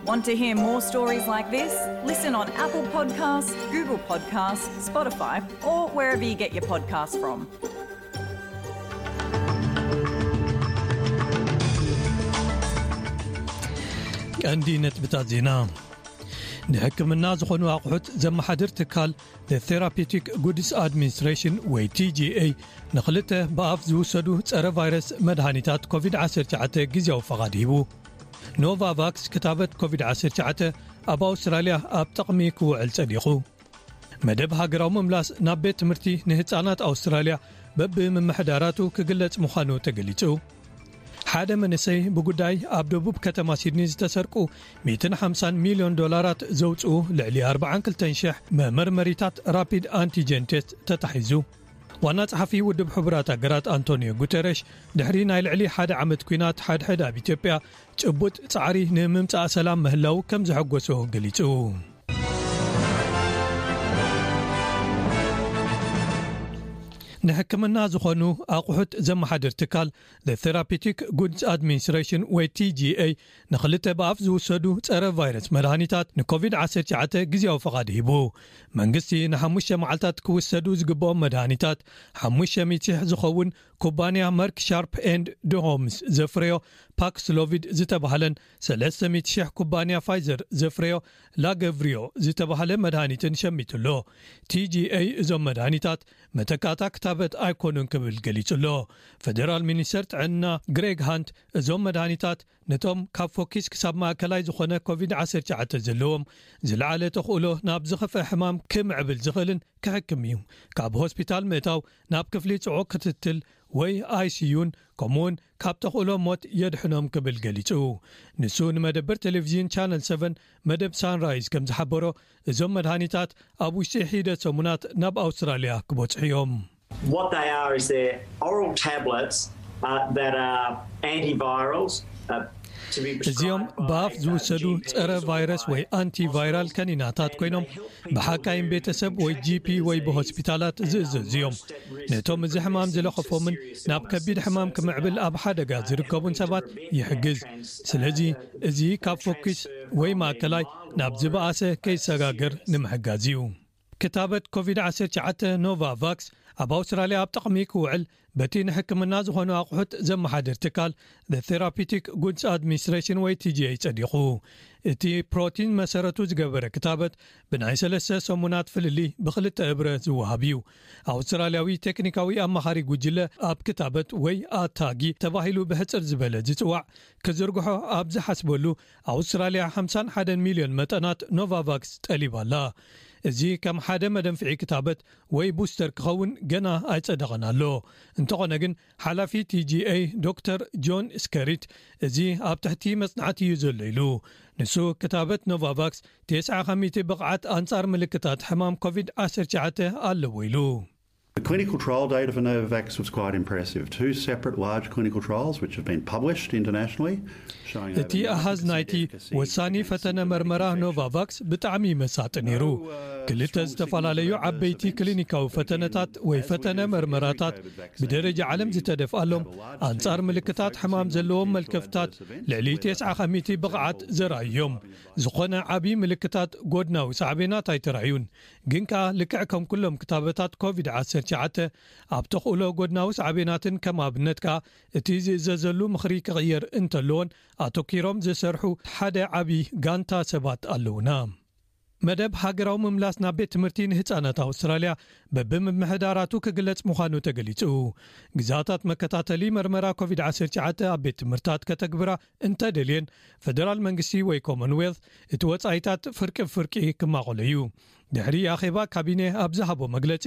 Want to hear more stories like this? Listen on Apple Podcasts, Google Podcasts, Spotify, or wherever you get your podcasts from. ቀንዲ ነጥብታት ዜና። ንሕክምና ዝኾኑ ኣቑሑት ዘመሓድር ትካል The Therapeutic Goods Administration ወይ T G A ንኽልተ ብኣፍ ዝውሰዱ ጸረ ቫይረስ መድሃኒታት ኮቪድ ዓሰርተ ትሽዓተ ግዜያዊ ፈቓድ ሂቡ። ኖቫቫክስ ክታበት ኮቪድ ዓሰርተ ትሽዓተ ኣብ ኣውስትራልያ ኣብ ጥቕሚ ክውዕል ጸዲቑ። መደብ ሃገራዊ ምምላስ ናብ ቤት ትምህርቲ ንህጻናት ኣውስትራልያ በብምምሕዳራቱ ክግለጽ ምዃኑ ተገሊጹ። ሓደ መንእሰይ ብጉዳይ ኣብ ደቡብ ከተማ ሲድኒ ዝተሰርቁ ሚእትን ሓምሳን ሚልዮን ዶላራት ዘውጽኡ ልዕሊ ኣርባዓን ክልተን ሽሕ መመርመሪታት ራፒድ ኣንቲጀን ቴስት ተታሒዙ። ዋና ጸሓፊ ውድብ ሕቡራት ሃገራት ኣንቶኒዮ ጉተረሽ ድሕሪ ናይ ልዕሊ ሓደ ዓመት ኲናት ሓድሕድ ኣብ ኢትዮጵያ ጭቡጥ ጻዕሪ ንምምጻእ ሰላም ምህላው ከም ዘሐጎሶ ገሊጹ። ንሕክምና ዝኾኑ ኣቑሑት ዘመሓድር ትካል The Therapeutic Goods Administration ወይ T G A ንኽልተ ብኣፍ ዝውሰዱ ጸረ ቫይረስ መድሃኒታት ንኮቪድ ዓሰርተ ትሽዓተ ግዜያዊ ፈቓድ ሂቡ። መንግስቲ ንሓሙሽተ መዓልታት ክውሰዱ ዝግብኦም መድሃኒታት ሓሙሽተ ሚእቲ ሽሕ ዝኸውን ኩባንያ መርክ ሻርፕ ኤንድ ድሆምስ ዘፍረዮ ፓክስሎቪድ ዝተባህለን ሰለስተ ሚእቲ ሽሕ ኩባንያ ፋይዘር ዘፍረዮ ላገቭሪዮ ዝተባህለ መድሃኒትን ሸሚቱ ኣሎ። T G A እዞም መድሃኒታት መተካእታ ክታበት ኣይኮኑን ክብል ገሊጹ ኣሎ። ፈደራል ሚኒስተር ጥዕና ግሬግ ሃንት እዞም መድሃኒታት ነቶም ካብ ፎኪስ ክሳብ ማእከላይ ዝኾነ ኮቪድ ዓሰርተ ትሽዓተ ዘለዎም ዝለዓለ ተኽእሎ ናብ ዝኸፍአ ሕማም ክምዕብል ዝኽእልን ክሕክም እዩ። ካብ ሆስፒታል ምእታው ናብ ክፍሊ ጽዑቕ ክትትል ወይ I C U ን ከምኡውን ካብ ተኽእሎ ሞት የድሕኖም ክብል ገሊጹ። ንሱ ንመደበር ቴሌቪዥን ቻነል ሰቨን መደብ ሳንራይዝ ከም ዝሓበሮ እዞም መድሃኒታት ኣብ ውሽጢ ሒደት ሰሙናት ናብ ኣውስትራልያ ክበጽሑ እዮም። What they are is they're oral tablets uh, that are antivirals. Uh, to be እዚኦም prescribed by, ብኣፍ uh, ዝውሰዱ G Ps ጸረ or ቫይረስ by ወይ ኣንቲቫይራል ከኒናታት ኮይኖም ብሓካይም ቤተሰብ ወይ ጂ ፒ ወይ ብሆስፒታላት ዝእዘዙ እዮም። ነቶም እዚ ሕማም ዝለኸፎምን ናብ ከቢድ ሕማም ክምዕብል ኣብ ሓደጋ ዝርከቡን ሰባት ይሕግዝ። ስለዚ እዚ ካብ ፎኪስ ወይ ማእከላይ ናብ ዝበኣሰ ከይሰጋገር ንምሕጋዝ እዩ። ክታበት ኮቪድ ዓሰርተ ትሽዓተ ኖቫቫክስ ኣብ ኣውስትራልያ ኣብ ጥቕሚ ክውዕል በቲ ንሕክምና ዝኾኑ ኣቑሑት ዘመሓድር ትካል The Therapeutic Goods Administration ወይ T G A ጸዲቑ። እቲ ፕሮቲን መሰረቱ ዝገበረ ክታበት ብናይ ሰለስተ ሰሙናት ፍልልይ ብኽልተ እብረ ዝወሃብ እዩ። ኣውስትራልያዊ ቴክኒካዊ ኣማኻሪ ጉጅለ ኣብ ክታበት ወይ ኣታጊ ተባሂሉ ብሕጽር ዝበለ ዝጽዋዕ ክዝርግሖ ኣብ ዝሓስበሉ ኣውስትራልያ ሓምሳን ሓደን ሚልዮን መጠናት ኖቫቫክስ ጠሊባ ኣላ። እዚ ከም ሓደ መደንፍዒ ክታበት ወይ ቡስተር ክኸውን ገና ኣይጸደቐን ኣሎ። እንተኾነ ግን ሓላፊ ቲ ጂ ኤ ዶክተር ጆን ስከሪት እዚ ኣብ ትሕቲ መጽናዕቲ እዩ ዘሎ ኢሉ። ንሱ ክታበት ኖቫቫክስ ተስዓ ከሚቲ ብቕዓት ኣንጻር ምልክታት ሕማም ኮቪድ ዓሰርተ ትሽዓተ ኣለዎ ኢሉ። The clinical trial data for Novavax was quite impressive. Two separate large clinical trials, which have been published internationally, showing እቲ ኣሃዝ ናይቲ ወሳኒ ፈተነ መርመራ ኖቫቫክስ ብጣዕሚ መሳጢ ነይሩ። ክልተ ዝተፈላለዩ ዓበይቲ ክሊኒካዊ ፈተነታት ወይ ፈተነ መርመራታት ብደረጃ ዓለም ዝተደፍኣሎም ኣንጻር ምልክታት ሕማም ዘለዎም መልከፍታት ልዕሊ ተስዓ ከሚቲ ብቕዓት ዘርኣዩ እዮም። ዝኾነ ዓቢ ምልክታት ጎድናዊ ሳዕቤናት ኣይተራእዩን። ግን ከኣ ልክዕ ከም ኩሎም ክታበታት ኮቪድ ዓሰርተ ትሽዓተ ኣብ ተኽእሎ ጎድናዊ ሳዕቤናትን ከም ኣብነት ከኣ እቲ ዝእዘዘሉ ምኽሪ ክቕየር እንተለዎን ኣተኪሮም ዝሰርሑ ሓደ ዓቢ ጋንታ ሰባት ኣለውና። መደብ ሃገራዊ ምምላስ ናብ ቤት ትምህርቲ ንህጻናት ኣውስትራልያ በብምምሕዳራቱ ክግለጽ ምዃኑ ተገሊጹ። ግዛታት መከታተሊ መርመራ ኮቪድ ዓሰርተ ትሽዓተ ኣብ ቤት ትምህርታት ከተግብራ እንተደልየን ፈደራል መንግስቲ ወይ ኮመንዌልት እቲ ወጻኢታት ፍርቂ ብፍርቂ ክማቐሎ እዩ። ድሕሪ ኣኼባ ካቢኔ ኣብ ዝሃቦ መግለጺ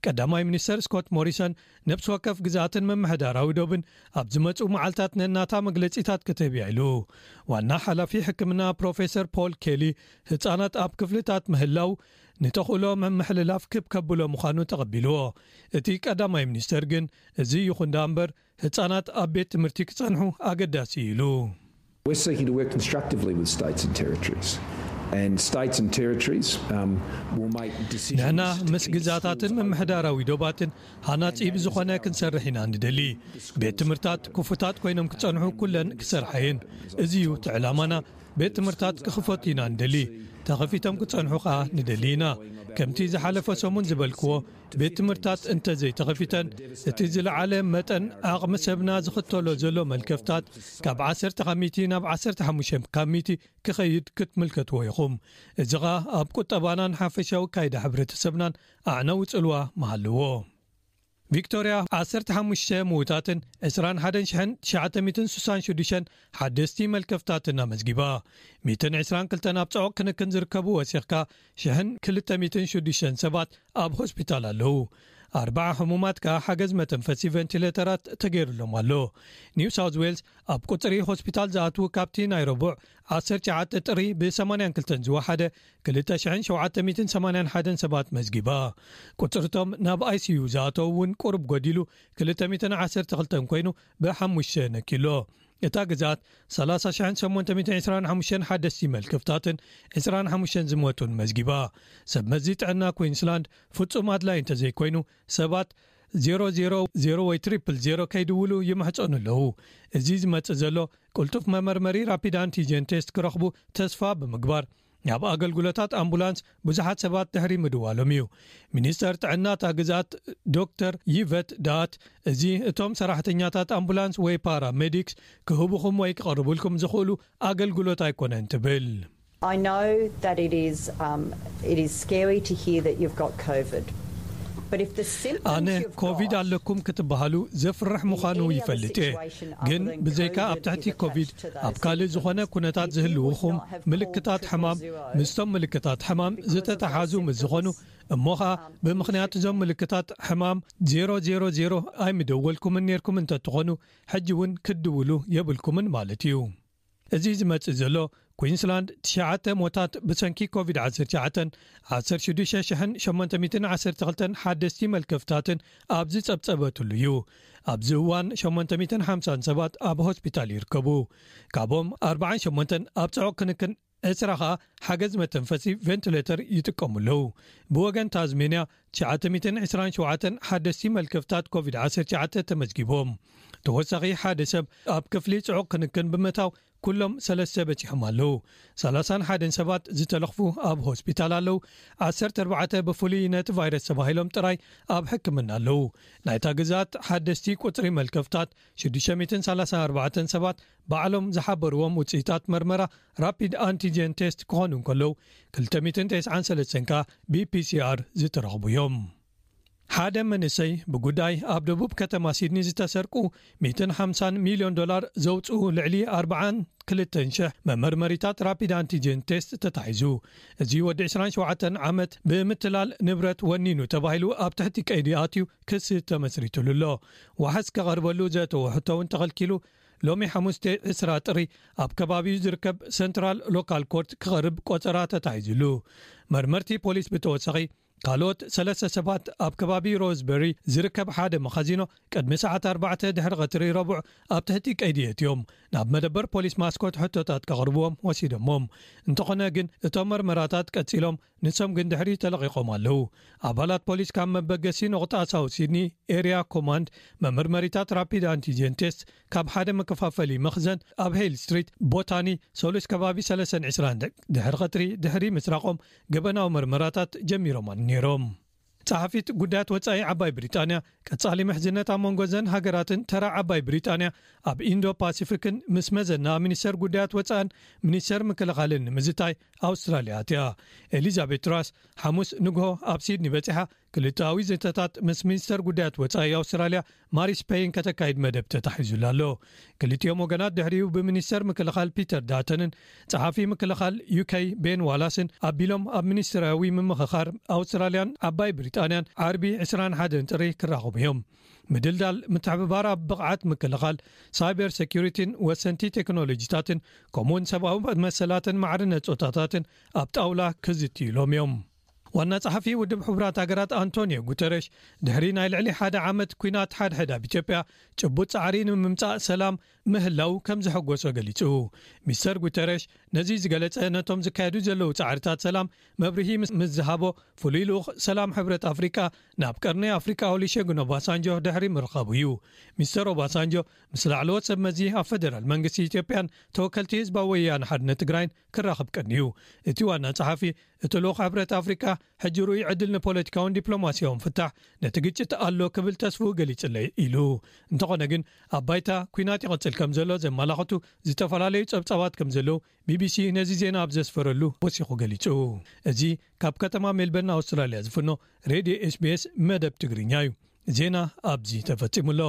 ቀዳማይ ሚኒስተር ስኮት ሞሪሰን ነብሲ ወከፍ ግዛትን ምምሕዳራዊ ዶብን ኣብ ዝመጹ መዓልታት ነናታ መግለጺታት ክትህብ እያ ኢሉ። ዋና ሓላፊ ሕክምና ፕሮፌሰር ፖል ኬሊ ህጻናት ኣብ ክፍልታት ምህላው ንተኽእሎ ምምሕልላፍ ክብ ከብሎ ምዃኑ ተቐቢልዎ። እቲ ቀዳማይ ሚኒስተር ግን እዚ ይኹን ደኣ እምበር ህጻናት ኣብ ቤት ትምህርቲ ክጸንሑ ኣገዳሲ እዩ ኢሉ። We're seeking to work constructively with states and territories. And states and territories um, will make decisions. ንሕና ምስ ግዛታትን ምምሕዳራዊ ዶባትን ሃናጺ ብዝኾነ ክንሰርሕ ኢና ንደሊ። ቤት ትምህርታት ክፉታት ኮይኖም ክጸንሑ ኩለን ክሰርሓ እየን። እዚ እዩ እቲ ዕላማና። ቤት ትምህርታት ክኽፈቱ ኢና ንደሊ። ተኸፊቶም ክጸንሑ ከኣ ንደሊ ኢና። ከምቲ ዝሓለፈ ሰሙን ዝበልክዎ፣ ቤት ትምህርታት እንተዘይተኸፊተን፣ እቲ ዝለዓለ መጠን ዓቕሚ ሰብና ዝኽተሎ ዘሎ መልከፍታት ካብ ዓሰርተ ካብ ሚእቲ ናብ ዓሰርተ ሓሙሽተ ካብ ሚእቲ ክኸይድ ክትምልከትዎ ኢኹም። እዚ ኸኣ ኣብ ቁጠባናን ሓፈሻዊ ካይዳ ሕብረተሰብናን ኣዕነዊ ጽልዋ ምሃለዎ። ቪክቶርያ ዓሰርተ ሓሙሽተ ምዉታትን ዕስራን ሓደን ሽሕን ትሽዓተ ሚእትን ስሳን ሽዱሽተን ሓደስቲ መልከፍታትን ኣመዝጊባ። ሚእትን ዕስራን ክልተን ኣብ ጽዑቕ ክንክን ዝርከቡ ወሲኽካ ሽሕን ክልተ ሚእትን ሽዱሽተን ሰባት ኣብ ሆስፒታል ኣለዉ። ኣርባዓ ሕሙማት ከኣ ሓገዝ መተንፈሲ ቨንቲሌተራት ተገይሩሎም ኣሎ። ኒው ሳውዝ ዌልስ ኣብ ቁጽሪ ሆስፒታል ዝኣትዉ ካብቲ ናይ ረቡዕ ዓሰርተ ትሽዓተ ጥሪ ብ82 ዝወሓደ ክልተ ሽሕን ሸውዓተ ሚእትን ሰማንያን ሓደን ሰባት መዝጊባ። ቁጽርቶም ናብ ኣይሲዩ ዝኣተዉ እውን ቁሩብ ጎዲሉ ክልተ ሚእትን ዓሰርተ ክልተን ኮይኑ ብሓሙሽተ ነኪሎ። እታ ግዝኣት ሰላሳ ሽሕን ሸሞንተ ሚእትን ዕስራን ሓሙሽተን ሓደስቲ መልከፍታትን ዕስራን ሓሙሽተን ዝሞቱን መዝጊባ። ሰብ መዚ ጥዕና ኩዊንስላንድ ፍጹም ኣድላይ እንተዘይኮይኑ ሰባት ዜሮ ዜሮ ዜሮ ወይ ትሪፕል ዜሮ ከይድውሉ ይምሕጸኑ ኣለዉ። እዚ ዝመጽእ ዘሎ ቅልጡፍ መመርመሪ ራፒድ ኣንቲጀን ቴስት ክረኽቡ ተስፋ ብምግባር ናብ ኣገልግሎታት ኣምቡላንስ ብዙሓት ሰባት ድሕሪ ምድዋሎም እዩ። ሚኒስተር ጥዕና እታ ግዝኣት ዶክተር ይቨት ዳት፣ እዚ እቶም ሰራሕተኛታት ኣምቡላንስ ወይ ፓራሜዲክስ ክህቡኹም ወይ ክቐርቡልኩም ዝኽእሉ ኣገልግሎት ኣይኮነን ትብል። I know that it is um, it is scary to hear that you've got COVID. But if the symptoms ኣነ you've ኮቪድ got ኣለኩም ክትበሃሉ ዘፍርሕ ምዃኑ ይፈልጥ እየ። ግን ብዘይካ ኣብ ትሕቲ ኮቪድ ኣብ ካልእ ዝኾነ ኩነታት ዝህልውኹም ምልክታት ሕማም፣ ምስቶም ምልክታት ሕማም ዝተተሓዙ ምስ ዝኾኑ፣ እሞ ኸኣ ብምኽንያት እዞም ምልክታት ሕማም ዜሮ ዜሮ ዜሮ ኣይምደወልኩምን ኔርኩም እንተትኾኑ፣ ሕጂ እውን ክትድውሉ የብልኩምን ማለት እዩ። እዚ ዝመጽእ ዘሎ፣ ኩዊንስላንድ ትሽዓተ ሞታት ብሰንኪ ኮቪድ ዓሰርተ ትሽዓተ፣ ዓሰርተ ሽዱሽተ ሽሕን ሸሞንተ ሚእትን ዓሰርተ ክልተን ሓደስቲ መልከፍታትን ኣብ ዝጸብጸበትሉ እዩ። ኣብዚ እዋን ሸሞንተ ሚእትን ሓምሳን ሰባት ኣብ ሆስፒታል ይርከቡ። ካብኦም ኣርባዓን ሸሞንተን ኣብ ጽዑቕ ክንክን፣ ዕስራ ኸኣ ሓገዝ መተንፈሲ ቬንቲሌተር ይጥቀሙ ኣለዉ። ብወገን ታዝሜንያ ትሽዓተ ሚእትን ዕስራን ሸውዓተን ሓደስቲ መልከፍታት ኮቪድ ዓሰርተ ትሽዓተ ተመዝጊቦም። ተወሳኺ ሓደ ሰብ ኣብ ክፍሊ ጽዑቕ ክንክን ብምእታው ኩሎም ሰለስተ በጺሖም ኣለዉ። ሰላሳን ሓደን ሰባት ዝተለኽፉ ኣብ ሆስፒታል ኣለዉ። ዓሰርተ ኣርባዕተ ብፍሉይ ነቲ ቫይረስ ተባሂሎም ጥራይ ኣብ ሕክምና ኣለዉ። ናይታ ግዝኣት ሓደስቲ ቁጽሪ መልከፍታት ሽዱሽተ ሚእትን ሰላሳን ኣርባዕተን ሰባት ባዕሎም ዝሓበርዎም ውጽኢታት መርመራ ራፒድ ኣንቲጀን ቴስት ክኾኑ እንከለዉ ክልተ ሚእትን ተስዓን ሰለስተን ከኣ ብፒሲኣር ዝተረኽቡ እዮም። ሓደ መንእሰይ ብጉዳይ ኣብ ደቡብ ከተማ ሲድኒ ዝተሰርቁ ሚእትን ሓምሳን ሚልዮን ዶላር ዘውጽኡ ልዕሊ ኣርባዓን ክልተን ሽሕ መመርመሪታት ራፒድ ኣንቲጀን ቴስት ተታሒዙ። እዚ ወዲ ዕስራን ሸውዓተን ዓመት ብምትላል ንብረት ወኒኑ ተባሂሉ ኣብ ትሕቲ ቀይዲ ኣትዩ ክሲ ተመስሪትሉ ኣሎ። ዋሕስ ከቐርበሉ ዘእተዎ ሕቶ እውን ተኸልኪሉ ሎሚ ሓሙስ ዕስራ ጥሪ ኣብ ከባቢኡ ዝርከብ ሰንትራል ሎካል ኮርት ክቐርብ ቆጸራ ተታሒዙሉ። መርመርቲ ፖሊስ ብተወሳኺ ካልኦት ሰለስተ ሰባት ኣብ ከባቢ ሮዝበሪ ዝርከብ ሓደ መኻዚኖ ቅድሚ ሰዓት ኣርባዕተ ድሕሪ ቀትሪ ረቡዕ ኣብ ትሕቲ ቀይዲ የእትዮም ናብ መደበር ፖሊስ ማስኮት ሕቶታት ከቕርብዎም ወሲዶሞም። እንተኾነ ግን እቶም መርመራታት ቀጺሎም ንሶም ግን ድሕሪ ተለቒቖም ኣለዉ። ኣባላት ፖሊስ ካብ መበገሲ ነቑጣ ሳውት ሲድኒ ኤርያ ኮማንድ መመርመሪታት ራፒድ ኣንቲጀን ቴስት ካብ ሓደ መከፋፈሊ መኽዘን ኣብ ሄል ስትሪት ቦታኒ ሰሉስ ከባቢ ሰለስተን ዕስራን ድሕሪ ቐትሪ ድሕሪ ምስራቖም ገበናዊ መርመራታት ጀሚሮም ነይሮም። ጸሓፊት ጉዳያት ወጻኢ ዓባይ ብሪጣንያ ቀጻሊ ምሕዝነት ኣብ መንጎ ዘን ሃገራትን ተራ ዓባይ ብሪጣንያ ኣብ ኢንዶ ፓሲፊክን ምስ መዘና ሚኒስተር ጉዳያት ወጻእን ሚኒስተር ምክልኻልን ንምዝታይ ኣውስትራልያ ኣትያ። ኤሊዛቤት ትራስ ሓሙስ ንግሆ ኣብ ሲድኒ በጺሓ ክልተኣዊ ዘተታት ምስ ሚኒስተር ጉዳያት ወጻኢ ኣውስትራልያ ማሪስ ፔይን ከተካይድ መደብ ተታሒዙላ ኣሎ። ክልቲኦም ወገናት ድሕሪኡ ብሚኒስተር ምክልኻል ፒተር ዳተንን ጸሓፊ ምክልኻል ዩኬ ቤን ዋላስን ኣቢሎም ኣብ ሚኒስትራዊ ምምኽኻር ኣውስትራልያን ዓባይ ብሪጣንያን ዓርቢ ዕስራን ሓደን ጥሪ ክራኸቡ እዮም። ምድልዳል ምትሕብባር ኣብ ብቕዓት ምክልኻል፣ ሳይበር ሴኩሪቲን ወሰንቲ ቴክኖሎጂታትን ከምኡውን ሰብኣዊ መሰላትን ማዕርነት ጾታታትን ኣብ ጣውላ ክዝትዩ ኢሎም እዮም። ዋና ጸሓፊ ውድብ ሕቡራት ሃገራት ኣንቶኒዮ ጉተረሽ፣ ድሕሪ ናይ ልዕሊ ሓደ ዓመት ኲናት ሓድሕድ ኣብ ኢትዮጵያ፣ ጭቡጥ ጻዕሪ ንምምጻእ ሰላም ምህላው ከም ዘሐጎሶ ገሊጹ። ሚስተር ጉተረሽ ነዚ ዝገለጸ፣ ነቶም ዝካየዱ ዘለዉ ጻዕርታት ሰላም መብርሂ ምስ፣ ምስ ዝሃቦ፣ ፍሉይ ልኡኽ ሰላም ሕብረት ኣፍሪቃ ናብ ቀርኒ ኣፍሪቃ ኦሉሸጉን ኦባሳንጆ ድሕሪ ምርኻቡ እዩ። ሚስተር ኦባሳንጆ ምስ ላዕለዎት ሰብ መዚ ኣብ ፈደራል መንግስቲ ኢትዮጵያን ተወከልቲ ህዝባዊ ወያነ ሓርነት ትግራይን ክራኸብ ቀንዩ። እቲ ዋና ጸሓፊ፣ እቲ ልኡኽ ሕብረት ኣፍሪቃ ሕጂ ርኡይ ዕድል ንፖለቲካውን ዲፕሎማሲያውን ፍታሕ ነቲ ግጭት ኣሎ ክብል ተስፍኡ ገሊጽለይ ኢሉ። እንተኾነ ግን፣ ኣብ ባይታ ኲናት ይቕጽል ከም ዘሎ ዘመላኽቱ ዝተፈላለዩ ጸብጻባት ከም ዘለዉ ቢቢሲ ነዚ ዜና ኣብ ዘስፈረሉ ወሲኹ ገሊጹ። እዚ ካብ ከተማ ሜልበርን ኣውስትራልያ ዝፍኖ ሬድዮ ኤስቢኤስ መደብ ትግርኛ እዩ። ዜና ኣብዚ ተፈጺሙ ኣሎ።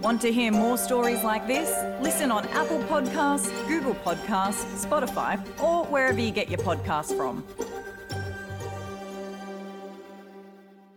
Want to hear more stories like this? Listen on Apple Podcasts, Google Podcasts, Spotify, or wherever you get your podcasts from.